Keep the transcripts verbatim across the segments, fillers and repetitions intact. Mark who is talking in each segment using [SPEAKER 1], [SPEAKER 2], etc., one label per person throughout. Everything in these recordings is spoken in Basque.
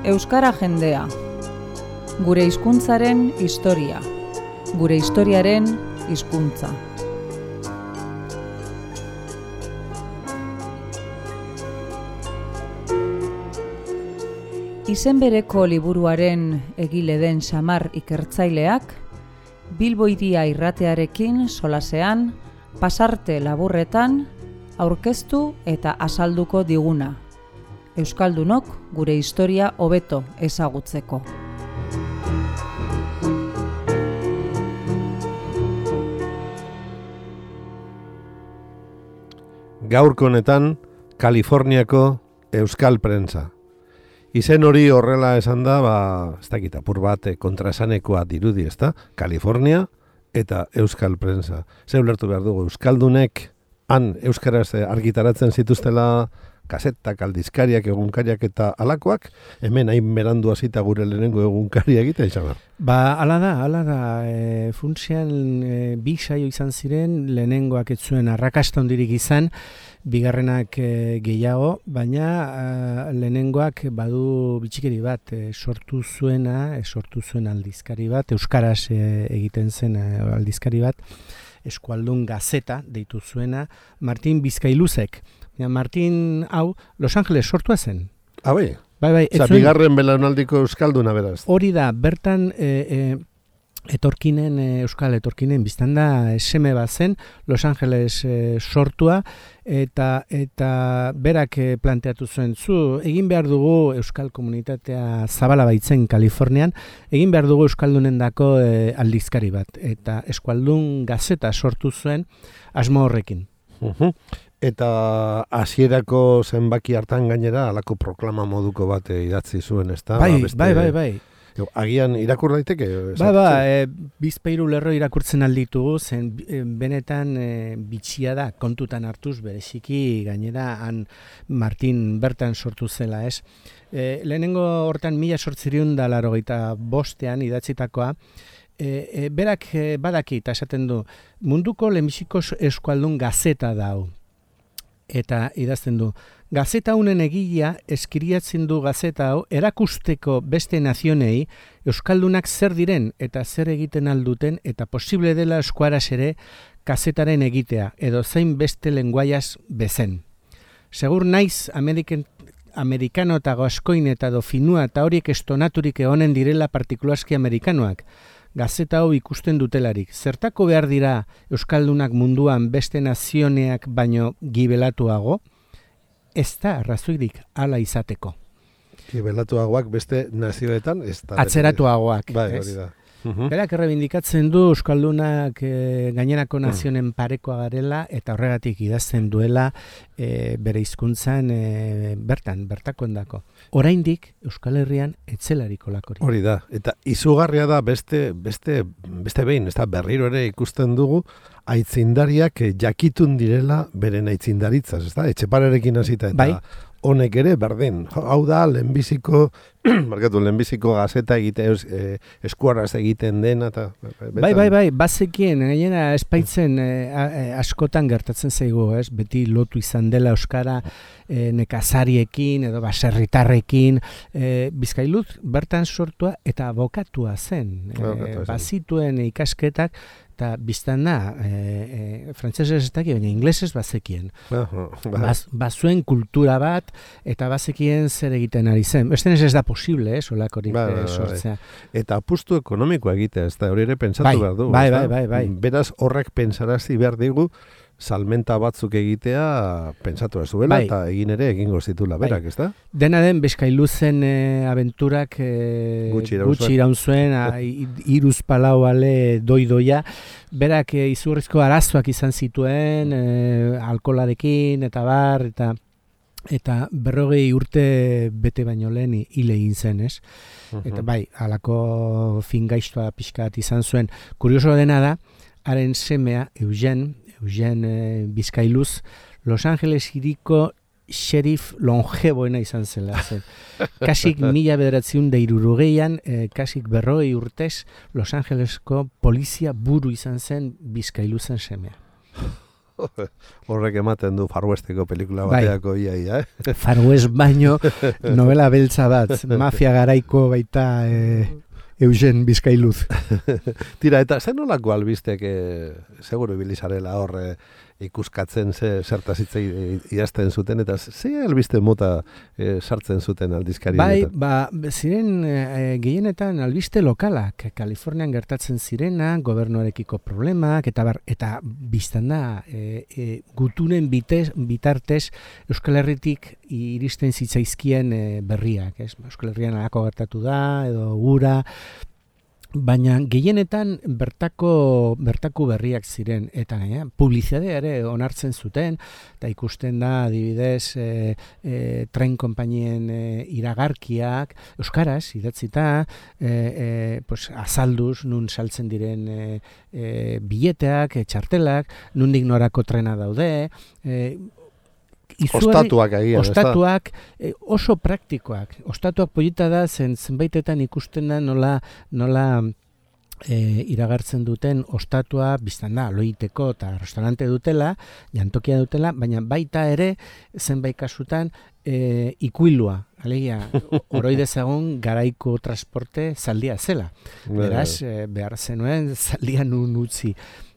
[SPEAKER 1] Euskara jendea. Gure hizkuntzaren historia. Gure historiaren hizkuntza. Izen bereko liburuaren egile den Samar ikertzaileak, Bilbo Hiria irratearekin solasean, pasarte laburretan, aurkeztu eta azalduko diguna. Euskaldunok gure historia hobeto ezagutzeko.
[SPEAKER 2] Gaurko honetan, Kaliforniako Euskal Prentsa. Izen hori horrela esan da, ba, ez dakit apur bat kontraesanekoa dirudi, ezta? Kalifornia eta Euskal Prentsa. Ze ulertu behar dugu, Euskaldunek han euskaraz argitaratzen zituztela kasetak, aldizkariak, egunkariak eta alakoak, hemen hain berandu hasita gure lehenengo egunkaria egiten izan.
[SPEAKER 3] Ba, ala da, ala da, e, funtsean e, bi saio izan ziren, lehenengoak ez zuen arrakasta hondirik izan, bigarrenak e, gehiago, baina e, lehenengoak badu bitxikeri bat, e, sortu zuena, e, sortu zuen aldizkari bat, euskaraz e, egiten zen e, aldizkari bat, Eskualdun Gazeta deitu zuena, Martin Bizkailuzek. Ja, Martin hau Los Angeles sortua zen.
[SPEAKER 2] Ah, bai?
[SPEAKER 3] Bai, bai.
[SPEAKER 2] Osa, bigarren belaunaldiko euskalduna beraz.
[SPEAKER 3] Hori da, bertan e, e, etorkinen, e, euskal etorkinen biztan da seme bat zen, Los Angeles e, sortua, eta eta berak e, planteatu zuen, zu, egin behar dugu euskal komunitatea zabala baitzen Kalifornian, egin behar dugu euskaldunendako e, aldizkari bat, eta Eskualdun Gazeta sortu zuen asmo horrekin.
[SPEAKER 2] Uh-huh. Eta hasierako zenbaki hartan gainera halako proklama moduko bat idatzi zuen, ezta?
[SPEAKER 3] Bai,
[SPEAKER 2] ba, beste,
[SPEAKER 3] bai, bai, bai.
[SPEAKER 2] Agian irakur daiteke?
[SPEAKER 3] Ba, ba, e, bizpairu lerro irakurtzen alditugu, zen e, benetan e, bitxia da, kontutan hartuz bereziki gainera han Martin bertan sortu zela, ez? E, lehenengo hortan mila sortziriun da larogeita bostean idatzitakoa, e, e, berak e, badaki eta esaten du, munduko lehenbiziko Eskualdun Gazeta da hau. Eta idazten du, gazeta honen egilea eskiriatzen du gazeta hau erakusteko beste nazionei euskaldunak zer diren eta zer egiten alduten eta posible dela eskuaraz ere kazetaren egitea edo zein beste lenguaiaz bezen. Segur naiz Ameriken, amerikano eta gaskoin eta dofinua eta horiek estonaturik egonen direla partikularski amerikanoak. Gazeta hau ikusten dutelarik. Zertako behar dira euskaldunak munduan beste nazioneak baino gibelatuago? Ez da arrazoirik hala izateko.
[SPEAKER 2] Gibelatuagoak beste nazioetan ez da.
[SPEAKER 3] Atzeratuagoak.
[SPEAKER 2] Bai, hori da. Uh-huh.
[SPEAKER 3] Berak errebindikatzen du euskaldunak e, gainerako nazionen parekoa garela eta horregatik idazten duela e, bere hizkuntzan e, bertan, bertako endako. Oraindik Euskal Herrian etzelariko lakori.
[SPEAKER 2] Hori da, eta izugarria da beste, beste, beste behin, ez da berriro ere ikusten dugu, aitzindariak jakitun direla beren aitzindaritzaz, ez da? Etxeparerekin hasita eta... Bai. Honek ere, berdin. Hau da, lehenbiziko, markatu, lehenbiziko gazeta egite, eh, eskuarraz egiten dena. Ta,
[SPEAKER 3] bai, bai, bai, bazekien, gainera espaitzen eh, askotan gertatzen zaigu, ez? Beti lotu izan dela euskara eh, nekazariekin edo baserritarrekin. Eh, Bizkailuz bertan sortua eta abokatua zen. Eh, bazituen ikasketak, eta biztan da, e, e, frantzesez ez daki, baina inglesez bazekien. Uh-huh, Baz, bazuen kultura bat, eta bazekien zer egiten ari zen. Estenez ez da posible, eh, solakorik ba, ba, sortzea.
[SPEAKER 2] Eta apustu ekonomikoa egitea, ez da, hori ere pentsatu
[SPEAKER 3] bai,
[SPEAKER 2] behar du.
[SPEAKER 3] Bai, bai, bai, bai.
[SPEAKER 2] Beraz horrek pentsarazi behar digu, salmenta batzuk egitea pentsatu ez duela, bai. Eta egin ere egingo zitula berak, bai. Ez da?
[SPEAKER 3] Dena den, Bizkailuzen e, abenturak e, gutxi iraun zuen, iruz palau ale doidoia, berak e, izurrizko arazoak izan zituen, e, alkolarekin eta bar, eta eta berrogei urte bete baino lehen hile egin zen, ez? Uh-huh. Eta bai, halako fingaiztoa pixka bat izan zuen. Kurioso dena da, haren semea, Eugen, Eugen eh, Bizkailuz, Los Angeles hiriko xerif longeboena izan zela. Zen. Kasik mila bederatziun da irurogeian, eh, kasik berrogei urtez, Los Angelesko polizia buru izan zen Bizkailuzen semea.
[SPEAKER 2] Horrek ematen du Far Westeko pelikula bateako bai. Ia, eh?
[SPEAKER 3] Far West baino novela beltza bat, mafia garaiko baita e, Eugen Bizkailuz.
[SPEAKER 2] Tira, eta zen nolako albistek e, seguru ibilizarela horre ikuskatzen ze zertaz hitz idazten zuten, eta ze albiste mota e, sartzen zuten aldizkari
[SPEAKER 3] bai, ba, ziren e, gehienetan albiste lokalak, Kalifornian gertatzen zirena, gobernuarekiko problemak, eta bar, eta biztan da, e, e, gutunen bitez, bitartez Euskal Herritik iristen zitzaizkien e, berriak, ez? Euskal Herrian alako gertatu da, edo gura, baina gehienetan bertako bertako berriak ziren eta gaina publizitatea ere onartzen zuten eta ikusten da adibidez e, e, tren konpainien e, iragarkiak euskaraz idatzita e, e, pues, azalduz nun saltzen diren e, e, bileteak, e, txartelak, nundik norako trena daude, e, Izuari,
[SPEAKER 2] ostatuak agian,
[SPEAKER 3] ostatuak eh, oso praktikoak. Ostatuak polita da, zen zenbaitetan ikusten da nola, nola eh, iragartzen duten ostatua biztan da, loiteko eta restaurante dutela, jantokia dutela, baina baita ere zenbait kasutan eh, ikuilua. Alegia, oroidezagun garaiko transporte zaldia zela. Beraz, eh, behar zenuen zaldia nun utzi.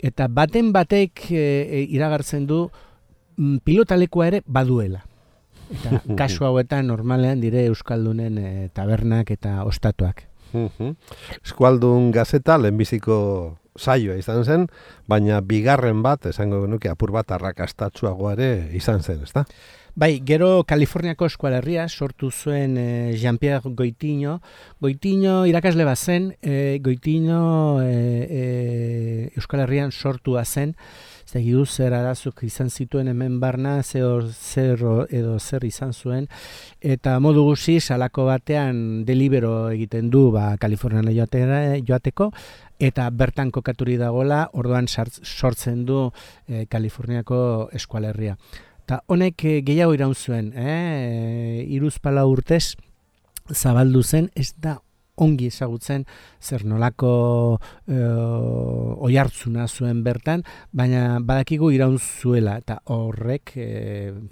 [SPEAKER 3] Eta baten batek eh, iragartzen du pilotalekua ere baduela. Eta kasu hauetan normalean dire euskaldunen e, tabernak eta ostatuak.
[SPEAKER 2] Eskualdun gazeta lehenbiziko saioa izan zen, baina bigarren bat, esango genuke apur bat arrakastatsuagoa ere izan zen, ezta?
[SPEAKER 3] Bai, gero Kaliforniako eskualerria sortu zuen e, Jean-Pierre Goitiño. Goitiño irakasle bat zen, e, Goitiño e, e, Euskal Herrian sortua zen, Zegidu zer arazuk izan zituen hemen barna, zer, zer edo zer izan zuen, eta modu guziz, alako batean delibero egiten du ba, Kalifornian joateko, eta bertan kokaturi dagoela, orduan sortzen du eh, Kaliforniako eskualerria. Eta honek eh, gehiago iraun zuen, eh? Hiruzpalau urtez zabaldu zen, ez da ongi ezagutzen zer nolako e, oihartzuna zuen bertan, baina badakigu iraun zuela eta horrek e,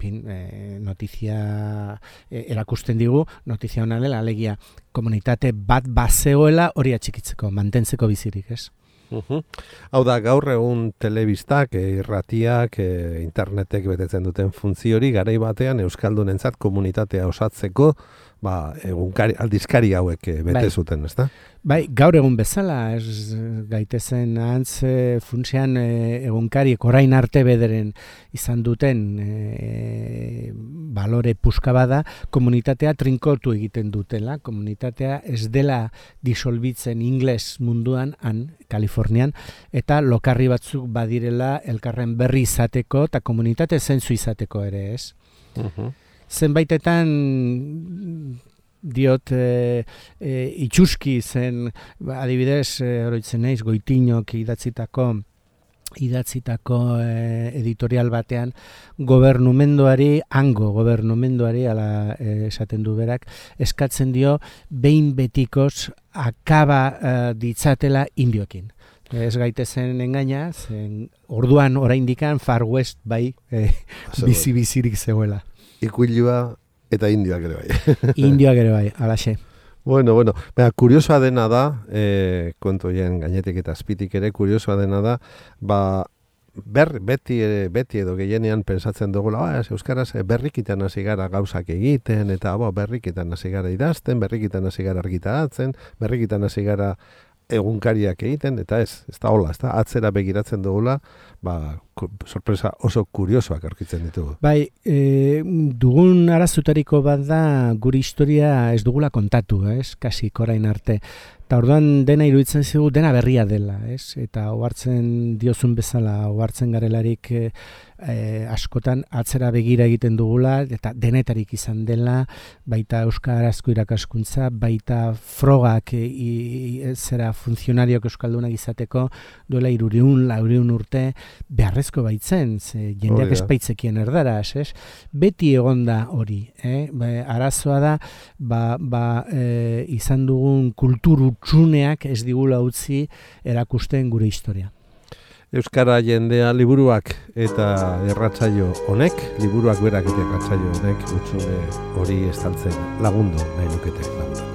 [SPEAKER 3] bin, e, notizia e, erakusten digu, notizia hona dela, alegia komunitate bat bazegoela hori atxikitzeko, mantentzeko bizirik, ez?
[SPEAKER 2] Uh-huh. Hau da, gaur egun telebistak, irratiak, e, internetek betetzen duten funtzio hori garai batean euskaldunentzat komunitatea osatzeko ba, egunkari, aldizkari hauek bete bai. Zuten, ezta?
[SPEAKER 3] Bai, gaur egun bezala, ez gaitezen antz e, funtsean e, egunkariek orain arte bederen izan duten e, balore puska bada, komunitatea trinkotu egiten dutela, komunitatea ez dela disolbitzen ingles munduan, han, Kalifornian, eta lokarri batzuk badirela elkarren berri izateko eta komunitate zentzu izateko ere, ez? Uh-huh. Zenbaitetan diot e, e, itxuski zen, adibidez, e, oroitzen naiz, Goitiñok idatzitako idatzitako e, editorial batean gobernumenduari, hango gobernumenduari, ala e, esaten du berak, eskatzen dio behin betikoz akaba e, ditzatela indioekin. Ez gaitezen engaina, zen orduan oraindikan Far West bai e, bizi-bizirik zegoela.
[SPEAKER 2] Ikuilua eta indioak ere bai.
[SPEAKER 3] Indioak ere bai, alaxe.
[SPEAKER 2] Bueno, bueno, baina kuriosoa dena da, e, kontoien gainetik eta azpitik ere, kuriosoa dena da, ba, ber, beti, beti edo gehienean pensatzen dugula, ba, euskaraz berrikitan hasi gara gauzak egiten, eta ba, berrikitan hasi gara idazten, berrikitan hasi gara argitaratzen, berrikitan hasi gara egunkariak egiten, eta ez, ez da hola, ez da, atzera begiratzen dugula, ba, sorpresa oso kuriosoak aurkitzen ditugu.
[SPEAKER 3] Bai, e, dugun arazutariko bat da gure historia ez dugula kontatu, ez, kasi korain arte. Eta orduan dena iruditzen zigu, dena berria dela, ez, eta ohartzen diozun bezala, ohartzen garelarik e, e, askotan atzera begira egiten dugula, eta denetarik izan dela, baita euskarazko irakaskuntza, baita frogak e, e, zera funtzionariok euskaldunak izateko, duela hirurehun, laurehun urte, beharrezko baitzen, ze jendeak espaitzekien erdaraz, ez? Beti egonda hori, eh? Ba, arazoa da, ba, ba, e, izan dugun kultur utzuneak ez digula utzi erakusten gure historia.
[SPEAKER 2] euskara jendea liburuak eta erratsaio honek, liburuak berak eta erratsaio honek hutsune hori estaltzen lagundu nahi lukete lagundu.